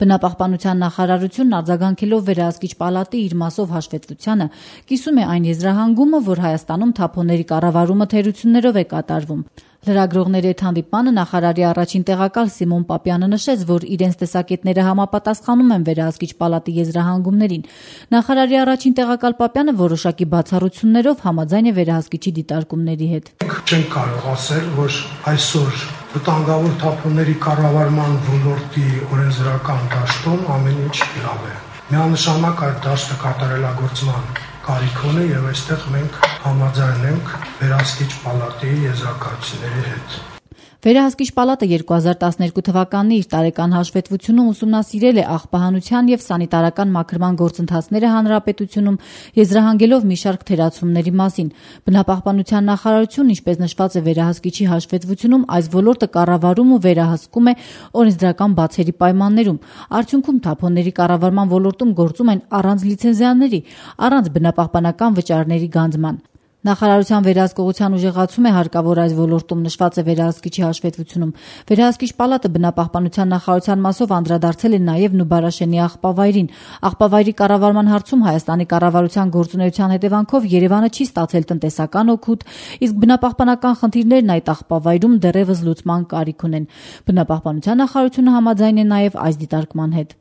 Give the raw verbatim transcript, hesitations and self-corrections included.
Բնապահպանության նախարարությունն արձագանքելով վերահսկիչ պալատի իր մասով հաշվետվությանը կիսում է այն եզրահանգումը, որ Հայաստանում թափոնների կառավարումը թերություններով է կատարվում։ Լրագրողների հետ հանդիպմանը նախարարի առաջին տեղակալ Սիմոն Պապյանը նշեց, որ իրենց տեսակետները համապատասխանում են վերահսկիչ պալատի եզրահանգումներին։ Նախարարի առաջին տեղակալ Պապյանը որոշակի բացառություններով համաձայն է վերահսկիչի դիտարկումների հետ։ Չենք կարող ասել, որ այսօր վտանգավոր թափոնների կառավարման ոլորտի օրենսդրական դաշտում ամեն ինչ լավ է։ Միանշանակ այդ դաշտը կատարելագործման կարիք ունի եւ այստեղ մենք համաձայն ենք վերահսկիչ պալատի եզրակացությունների հետ։ Վերահսկիչ պալատը երկու հազար տասներկու թվականի իր տարեկան հաշվետվությունում ուսումնասիրել է աղբահանության եւ սանիտարական մաքրման գործընթացները հանրապետությունում, եզրահանգելով մի շարք թերացումների մասին։ Բնապահպանության նախարարությունն, ինչպես նշված է վերահսկիչի հաշվետվությունում, այս ոլորտը կառավարում ու վերահսկում է օրենսդրական բացերի պայմաններում։ Արդյունքում թափոնների կառավարման ոլորտում գործում են առանց լիցենզիաների, առանց բնապահպանական վճարների գանձման։ Նախարարության վերահսկողության ուժեղացում է հարկավոր այս ոլորտում նշված է վերահսկիչի հաշվետվությունում։ Վերահսկիչ պալատը բնապահպանության նախարարության մասով անդրադարձել է նաև Նուբարաշենի աղբավայրին։ Աղբավայրի կառավարման հարցում Հայաստանի կառավարության գործունեության հետևանքով Երևանը չի ստացել տնտեսական օգուտ, իսկ բնապահպանական խնդիրներն այդ աղբավայրում դեռևս լուծման կարիք ունեն։ Բնապահպանության նախարարությունը համաձայն է նաև այս դիտարկման հետ։